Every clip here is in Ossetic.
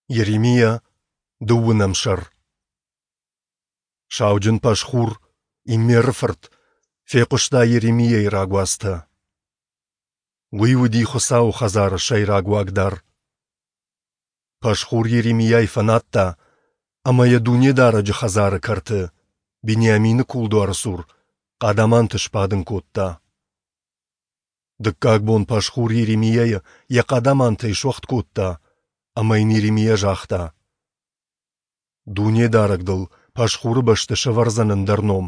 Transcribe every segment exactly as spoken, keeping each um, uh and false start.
Йеремиа, дыууынӕм сӕр. Сауджын Пашхур, Иммеры фырт, фехъуыста Йеремиайы рагуацтӕ. Уый уыди Хуыцауы хӕдзары сӕйраг уагдар. Пашхур Йеремиайы фӕнадта ӕмӕ йӕ Дунедарӕджы хӕдзары кӕрты, Бениамины кулдуары цур, хъадаманты сбадын кодта. Дыккаг бон Пашхур Йеремиайы йӕ хъадамантӕй суӕгъд кодта, ӕмӕ йын Йеремиа загъта: Дунедарӕг дыл Пашхуры бӕсты сӕвӕрдзӕн ӕндӕр ном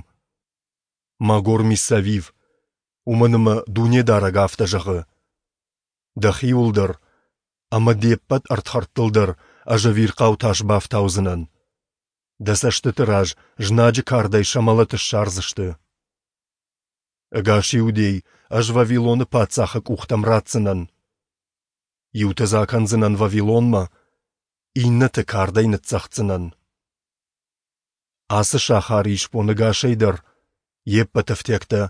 — Магор-Миссавив, уымӕн ӕмӕ Дунедарӕг афтӕ зӕгъы: Дӕхиуыл дӕр ӕмӕ де ппӕт ӕрдхӕрдтыл дӕр ӕз ӕвирхъау тас бафтаудзынӕн. Дӕ цӕстыты раз знаджы кардӕй сӕ мӕлӕт ссардзысты. Ӕгас Иудей ӕз Вавилоны паддзахы къухтӕм ратдзынӕн. Иуты дзы акӕндзынӕн Вавилонмӕ, иннӕты кардӕй ныццӕгъддзынӕн. Ацы сахары исбон ӕгасӕй дӕр, йе ппӕт ӕфтиӕгтӕ,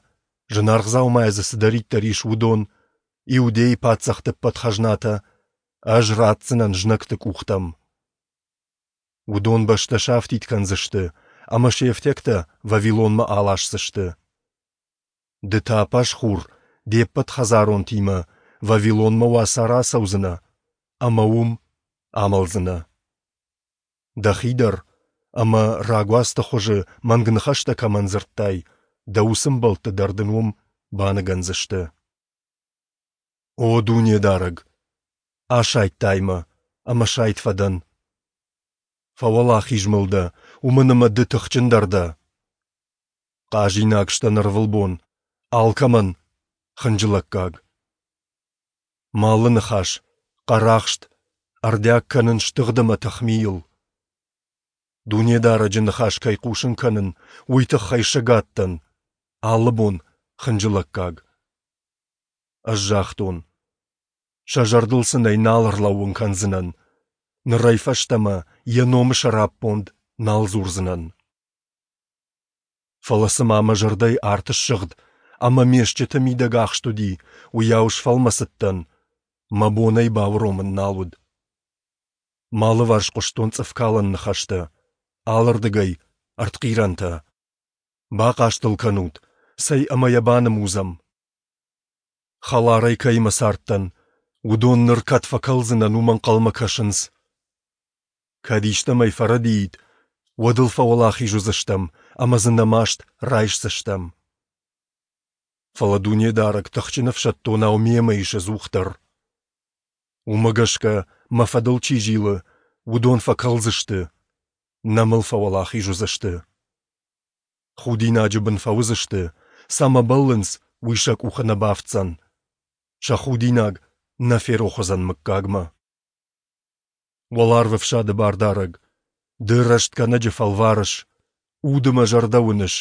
зынаргъ дзаумайӕ дзы цыдӕриддӕр ис, уыдон, Иудейы паддзӕхты ӕппӕт хӕзнатӕ ӕз ратдзынӕн знӕгты къухтӕм. Уыдон бӕстӕ сафтид кӕндзысты ӕмӕ се фтиӕгтӕ Вавилонмӕ аласдзысты. Ды та, Пашхур, де ппӕт хӕдзаронтимӕ Вавилонмӕ уацары ацӕудзынӕ ӕмӕ уым амӕлдзынӕ. Дӕхи дӕр ӕмӕ, рагуацты хуызы мӕнг ныхӕстӕ кӕмӕн дзырдтай, дӕ уыцы ӕмбӕлтты дӕр дын уым баныгӕндзысты. О Дунедарӕг! Асайдтай мӕ, ӕмӕ сайд фӕдӕн. Фӕуӕлахиз мыл дӕ, уымӕн ӕмӕ ды тыхджындӕр дӕ. Хъазинаг сдӕн ӕрвылбон, алкӕмӕн хынджылӕггаг. Мӕ алы ныхас, хъӕрахст, ӕрдиаг кӕнын стыгъд ӕмӕ тыхмийыл. Дунедарӕджы ныхас кӕй хъусын кӕнын, уый тыххӕй сӕгад дӕн, алы бон хынджылӕггаг. Ӕз загътон: сӕ зӕрдыл сын ӕй нал ӕрлӕууын кӕндзынӕн, нырӕй фӕстӕмӕ йӕ номы сӕраппонд нал дзурдзынӕн. Фӕлӕ цыма мӕ зӕрдӕйы арт ссыгъд ӕмӕ ме стджыты мидӕг ахст уыди, уыйау сфӕлмӕцыдтӕн, мӕ бон ӕй бауромын нал уыд. Мӕ алыварс хъуыстон цъыфкалӕн ныхӕстӕ, алырдыгӕй ӕртхъирӕнтӕ. Бахъаст ыл кӕнут, цӕй ӕмӕ йӕ банымудзӕм. Хӕларӕй кӕимӕ цардтӕн, уыдон ныр кӕд фӕкӕлдзынӕн, уымӕ ӕнхъӕлмӕ кӕсынц. Кӕд истӕмӕй фӕрӕдиид, уӕд ыл фӕуӕлахиз уыдзыстӕм ӕмӕ дзы нӕ маст райсдзыстӕм. Фӕлӕ Дунедарӕг тыхджын ӕфсӕддонау мемӕ ис ӕдзухдӕр. Уымӕ гӕсгӕ, мӕ фӕдыл чи зилы, уыдон фӕкӕлдзысты, нӕ мыл фӕуӕлахиз уыдзысты. Худинаджы бын фӕуыдзысты, цӕмӕ бӕллынц, уый сӕ къухы нӕ бафтдзӕн. Сӕ худинаг нӕ ферох уыдзӕн мыггагмӕ. Уӕларвӕфсады Бардарӕг, Ды рӕстгӕнӕджы фӕлварыс, уды мӕ зӕрдӕ уыныс.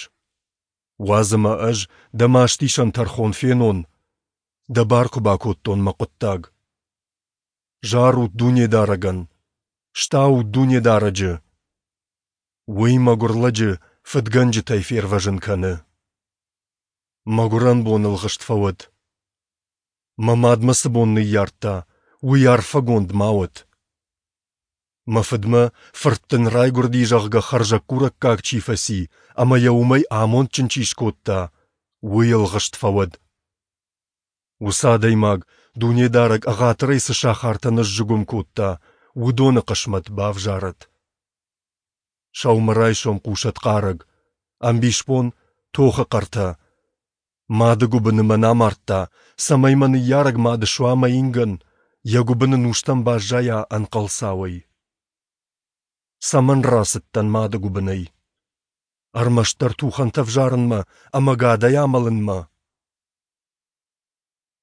Уадз ӕмӕ ӕз дӕ мастисӕн тӕрхон фенон, дӕ бар куы бакодтон мӕ хъуыддаг. Зарут Дунедарӕгӕн, стаут Дунедарӕджы! Уый мӕгуыр лӕджы фыдгӕнджытӕй фервӕзын кӕны. Мӕгуырӕн бон ӕлгъыст фӕуӕд. Мӕ мад мӕ цы бон ныййардта, уый арфӕгонд ма уӕд. Мӕ фыдмӕ, фырт дын райгуырди, зӕгъгӕ, хӕрзӕггурӕггаг чи фӕци ӕмӕ йӕ уымӕй амондджын чи скодта, уый ӕлгъыст фӕуӕд. Уыцы адӕймаг, Дунедарӕг ӕгъатырӕй цы сахартӕ ныззыгуым кодта, уыдоны хъысмӕт бавзарӕд. Сӕумӕрайсом хъусӕд хъарӕг, ӕмбисбон тохы хъӕртӕ. Мады гуыбыны мӕн амардта, цӕмӕй мӕ ныййарӕг мад суа мӕ ингӕн, йӕ гуыбыны нустӕм баззайа ӕнхъӕлцауӕй. Цӕмӕн рацыдтӕн мады гуыбынӕй? Ӕрмӕстдӕр тухӕнтӕ ӕвзарынмӕ ӕмӕ ӕгадӕй амӕлынмӕ?